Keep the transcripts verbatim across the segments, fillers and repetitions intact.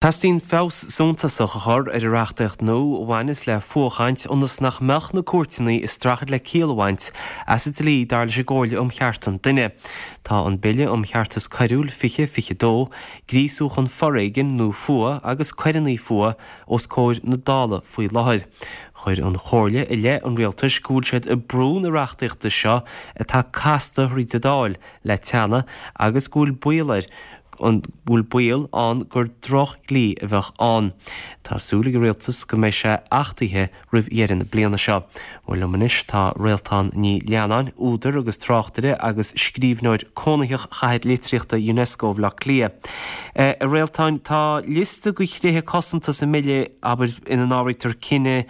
Teastaíonn feabhas suntasach a chur ar an reachtaíocht nua a bhaineas le fuathchaint ionas nach mbeadh na cúirteanna ag streachailt le ciall a bhaint as an dlí dar leis an gComhairle um Chearta an Duine. Tá an Bille um Cheartas Coiriúil fiche fiche dó, gríosú chun foréigin nó fuath agus coireanna fuath os comhair na Dála faoi láthair. Chuir an Chomhairle i leith an rialtais go bhfuil siad ag brú na reachtaíochta seo atá casta thríd an Dáil le teannadh agus go bhfuil baol air an bhfuil baol ann gur drochdhlí a bheadh ann. Tá súil ag an rialtas go mbeidh sé achtaithe roimh dheireadh na bliana seo. Bhuel liom anois tá Réaltán Ní Leannáin, údar agus tráchtaire agus scríbhneoir cónaitheach Chathair Litríochta UNESCO Bhaile Átha Cliath. A Réaltáin, tá liosta de thréithe cosanta sa mbille abair ina n-áirítear cine,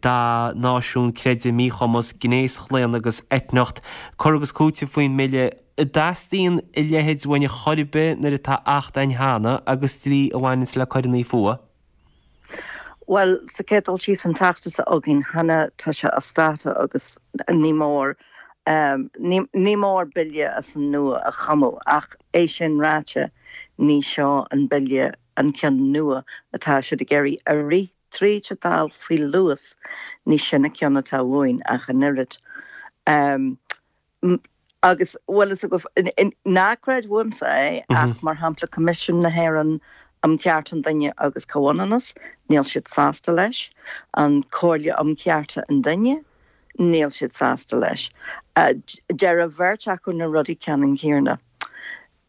dath, náisiún, creideamh, míchumas, gnéaschlaonadh agus eitneacht, cur agus cúiteamh faoin mbille. An dteastaíonn a leithéid uainn ar chor ar bith nuair atá acht ann cheana agus dlí a bhaineanns le coireanna fuath? Bhuel, sa chéad dul síos an t-acht atá againn cheana tá sé as dáta agus ní mór ní ní mór bille as an nua a chumadh ach é sin ráite ní seo an bille an ceann nua atá siad ag iarraidh a rith tríd an Dáil faoi luas ní sin an ceann atá uainn ach an oiread. Agus bhfuil fhios agat, ná creid uaimse é, ach mar shampla Coimisiún na hÉireann um Chearta an Duine agus Comhionannas, níl siad sásta leis. An Comhairle um Chearta an Duine, níl siad sásta leis. Deir an bheirt acu na rudaí ceannann céanna.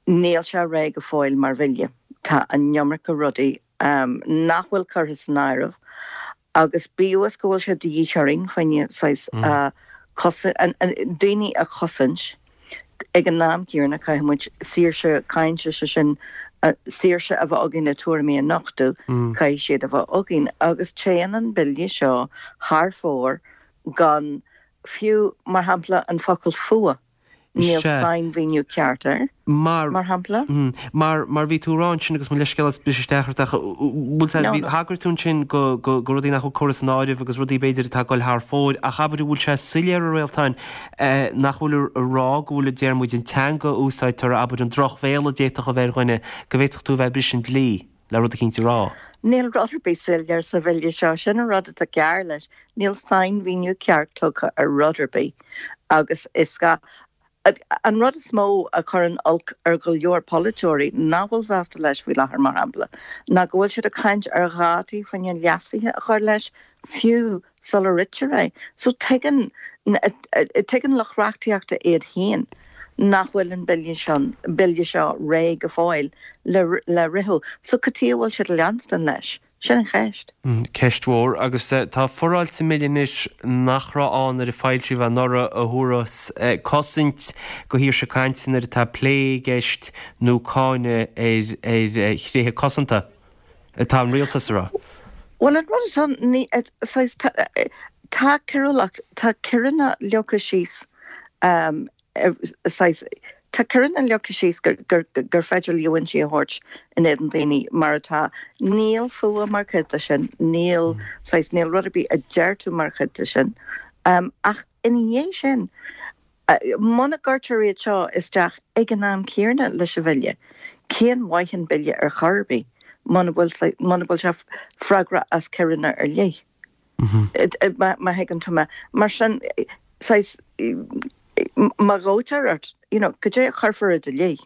Níl sé réidh go fóill mar bhille. Tá an iomarca rudaí nach bhfuil curtha san áireamh agus bíodh is go bhfuil sé de dhíth orainn fá choinne saghas daoine a chosaint, ag an am céanna caithfidh muid saoirse cainte, sé sin saoirse a bheith againn le tuairimí a nochtadh, caithfidh siad a bheith againn agus téann an bille seo thar fóir gan fiú, mar shampla, an focal fuath. Níl sainmhíniú ceart air, mar mar shampla. Mar, mar bhí tú ag rá ansin agus mo leithscéal as briseadh isteach ort ach bhfuil sé, bhí, thagair tú ansin go, go, go rudaí nach bhfuil curtha san áireamh agus rudaí b'fhéidir atá ag dul thar fóir ach abair an bhfuil sé soiléir a Réaltáin nach bhfuil ag rá go bhfuil a deir muid an teanga a úsáidtear abair an drochbhéal a d'fhéadfadh a bheith ar dhuine go bhféadfadh tú a bheith ag briseadh an dlí le rud eicínt a rá. Níl rud ar bith soiléir sa bhille seo, sin an rud atá cearr leis, níl sainmhíniú ceart tugtha ar rud ar bith agus is gá An rud is mó a chuireann olc ar go leor polaiteoirí nach bhfuil sásta leis faoi láthair, mar shampla, ná go bhfuil siad ag caint ar dhátaí fá choinne leasuithe a chur leis fiú sula ritear é. So tuigeann tuigeann lucht reachtaíochta iad féin nach bhfuil an bille seo bille seo réidh go fóill le le ritheadh. So cad chuige a bhfuil siad ag leanstan leis? Sin an cheist. Ceist mhór. Agus tá foráil sa mBille anois nach raibh ann nuair a foilsíodh é anuraidh a thabharfas cosaint do shaoirse cainte nuair atá plé i gceist nó cáineadh ar thréithe cosanta, atá an rialtas a rá. Bhuel, an rud atá, ní, saghas, tá coiriúlacht, tá coireanna leagtha síos saghas, tá coireanna leagtha síos gur, gur, gur féidir líomhaintí a thabhairt in éadan daoine mar atá. Níl fuath mar chuid de sin, níl, saghas, níl rud ar bith a deir tú mar chuid de sin. Ach ina dhiaidh sin, muna gcuirtear iad seo isteach ag an am céanna leis an bhille, cén mhaith an bille ar chor ar bith muna bhfuil, muna bhfuil sé freagrach as coireanna ar leith? Má thuigeann tú mé. Mar sin, saghas, má ghabhtar ort, you know, cad é a chuirfear i do leith?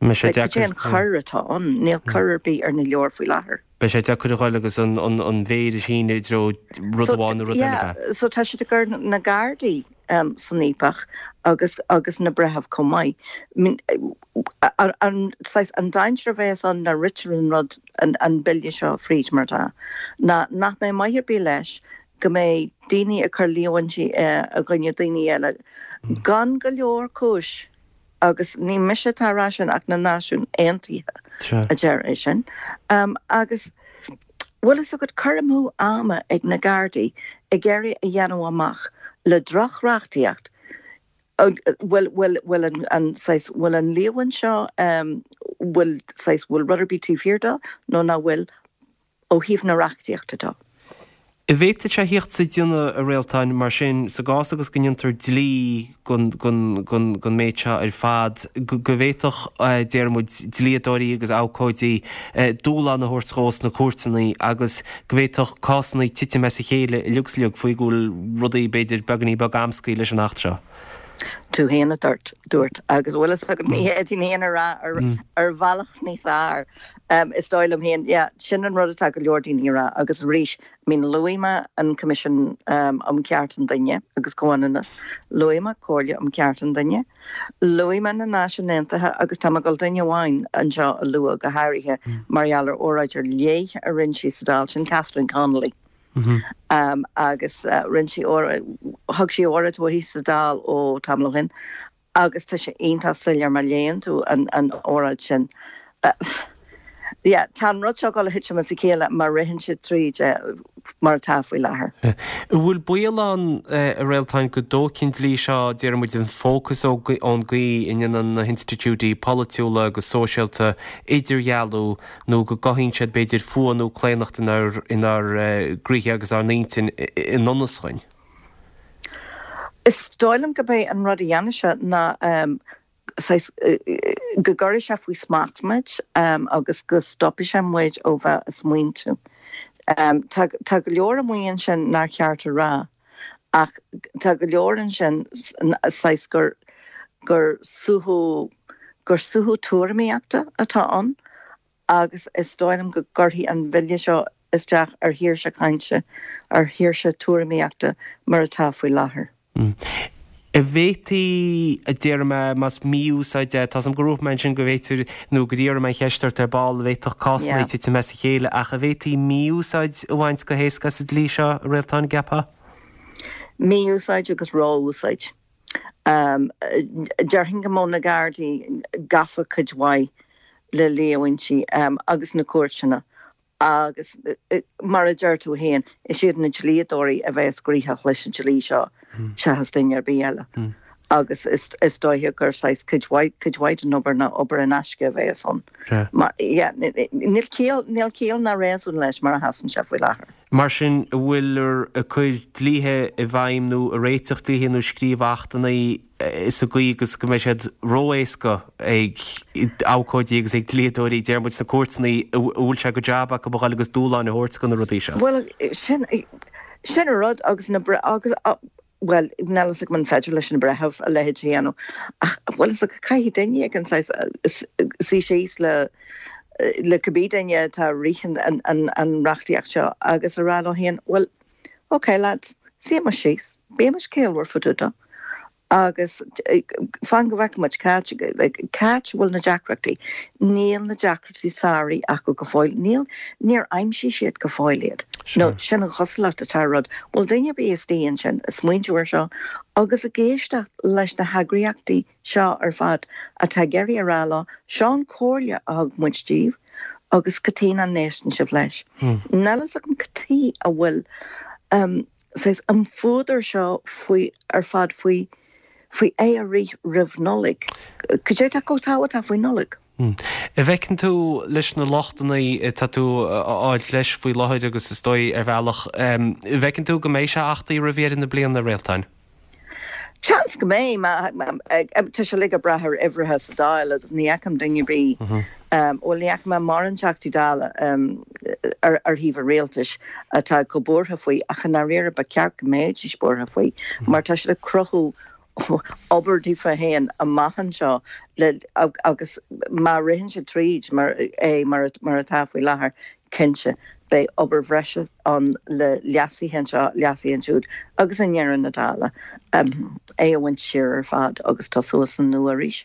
Beidh sé Cad é deacair. an choir atá ann? Níl coir ar bith ar na leabhair faoi láthair. Beidh sé deacair a ghoil agus an mhéar a shíneadh i dtreo rud So, amháin nó rud eile, yeah, ab ea? so tá siad ag cur na Gardaí san fhaopach agus agus na breithimh chomh maith. I mean, an saghas, an dainséar a bheas ann nuair a ritear an rud, an bille seo fríd mar atá, ná nach mbeidh maith ar bith leis go mbeidh daoine ag cur líomhaintí i gcoinne daoine eile gan go leor cúis agus ní mise atá ag rá sin ach na Náisiúin Aontaithe a deir é sin. Agus bhfuil fhios agat cur amú ama ag na Gardaí ag iarraidh a dhéanamh amach le droch-reachtaíocht bhfuil bhfuil bhfuil an an saghas bhfuil an líomhain seo bhfuil saghas bhfuil rud ar bith taobh thiar dó nó nach bhfuil ó thaobh na reachtaíochta de. An bhféadfadh sé theacht sa déanamh a Réaltáin mar sin sa gcás agus go ndéantar dlí den méid seo ar fad, go bhféadfadh, déarfaidh muid, dlíodóirí agus abhcóidí dúshlán a thabhairt dhó sna cúirteanna agus go bhféadfadh cásanna titim as a chéile uilig is uilig faoi go bhfuil rudaí b'fhéidir beagáinín beag amscaí leis an Acht seo. Tú féin a dúirt, dúirt, agus bhfuil fhios agat ní fhéadfainn féin a rá ar, ar bhealach níos fearr. Is dóigh liom féin, yeah, sin an rud atá go leor daoine a rá agus arís, I mean, luaigh mé an Coimisiún um Chearta an Duine agus Comhionannas, luaigh mé Comhairle um Chearta an Duine, luaigh mé na Náisiúin Aontaithe agus tá mé ag dul duine amháin anseo a lua go háirithe mar gheall ar óráid ar leith a rinne sí sa Dáil, sin Catherine Connolly. Agus rinne sí thug sí óráid uaithi sa Dáil ó tamall ó shin agus tá sé iontach soiléir má léann tú an óráid sin. Yeah, tá an rud seo ag dul a thitim as a chéile má ritheann sé tríd mar atá faoi láthair. An bhfuil baol ann, a Réaltáin, go dtógfaidh an dlí seo, déarfaidh muid, an fócas ón gcaoi a ndéanann na hinstitiúidí polaitiúla agus sóisialta idirdhealú nó go gcothaíonn siad, b'fhéidir, fuath nó claonacht inár gcroíthe agus ár n-intinn i ngan fhios dhúinn? Is dóigh liom gurb é an rud a dhéanfaidh sé ná saghas go gcuirfidh sé faoi smacht muid agus go stopfaidh sé muid ó bheith ag smaointiú. Tá tá go leor amuigh ansin nár cheart a rá ach tá go leor ansin saghas gur gur suaitheadh gur suaitheadh tuairimíochta atá ann agus is dóigh liom go gcuirfidh an bille seo isteach ar shaoirse cainte, ar shaoirse tuairimíochta mar atá faoi láthair. An bhféadfaí, a déarfaidh mé, más mí-úsáid é, tá 's agam gur dhúirt mé ansin go bhféadfar, nó gur iarr mé an cheist ort ar ball, an bhféadfadh cásanna titim as a chéile, ach an bhféadfaí mí-úsáid a bhaint go héasca as an dlí seo, a Réaltán, an gceapfá? Mí-úsáid agus ró-úsáid. Déarfainn go mbeadh na Gardaí gafa cuid mhaith le líomhaintí agus na cúirteanna agus mar a deir tú féin, is iad na dlíodóirí a bheas gnoitheach leis an dlí seo seachas duine ar bith eile. Agus is dóiche gur saghas cuid mhaith, cuid mhaith den obair ná obair in aisce a bheas ann. Mar, yeah, níl ciall, níl ciall ná réasún leis mar a sheasann sé faoi láthair. Mar sin, an bhfuiltear ag cur dlíthe i bhfeidhm nó ag réiteach dlíthe nó ag scríobh achtanna sa gcaoi agus go mbeidh siad ró-éasca ag abhcóidí agus ag dlíodóirí, deir muid, sna cúirteanna, a bhfuil sé de jab acu a dhul agus dúshláin a thabhairt do na rudaí seo? Bhuel, sin, sin an rud agus na, agus, bhuel, níl a fhios agam an féidir leis na breithimh a leithéid a dhéanamh ach bhfuil fhios agat, caithfidh duine éigin saghas suí síos le le cibé duine atá ag rith an an reachtaíocht seo agus a rá leo féin, bhuel, ok lads, suímis síos, bímis ciallmhar fá dtaobh de agus fan go bhfeicfidh muid cá like cá háit a bhfuil na deacrachtaí. Níl na deacrachtaí sáraithe acu go fóill. Níl, níor aimsigh siad go fóill iad. Nó sin an chosúlacht atá ar an rud. Bhfuil duine ar bith istigh ansin ag smaointiú ar seo agus ag éisteacht leis na heagraíochtaí seo ar fad atá ag iarraidh a rá leo, seo an chomhairle a thug muid daoibh agus cad chuige nach n-éisteann sibh leis. Níl a fhios agam cad chuige a bhfuil saghas an fuadar seo faoi ar fad faoi faoi é a rith roimh Nollaig. Cad é atá chomh tábhachtach faoi Nollaig? An bhfeiceann tú leis na lochtanna atá tú a fháilt leis faoi láthair agus is dóigh ar bhealach, an bhfeiceann tú go mbeidh sé achtaithe roimh dheireadh na bliana, a Réaltáin? Seans go mbeidh. Tá sé uilig ag brath ar uimhreacha sa Dáil agus ní fheicim duine ar bith, bhuel ní fheicim mórán Teachtaí Dála ar thaobh an rialtais atá chomh buartha faoi ach i ndáiríre ba cheart go mbeidís buartha faoi mar tá siad ag cruthú obair daofa féin amach anseo le agus má ritheann siad tríd mar é mar mar atá faoi láthair, cinnte, beidh obair bhreise ann le leasuithe anseo, leasuithe ansiúd agus i ndeireadh na dála, é a bhaint siar ar fad agus tosú as an nua arís.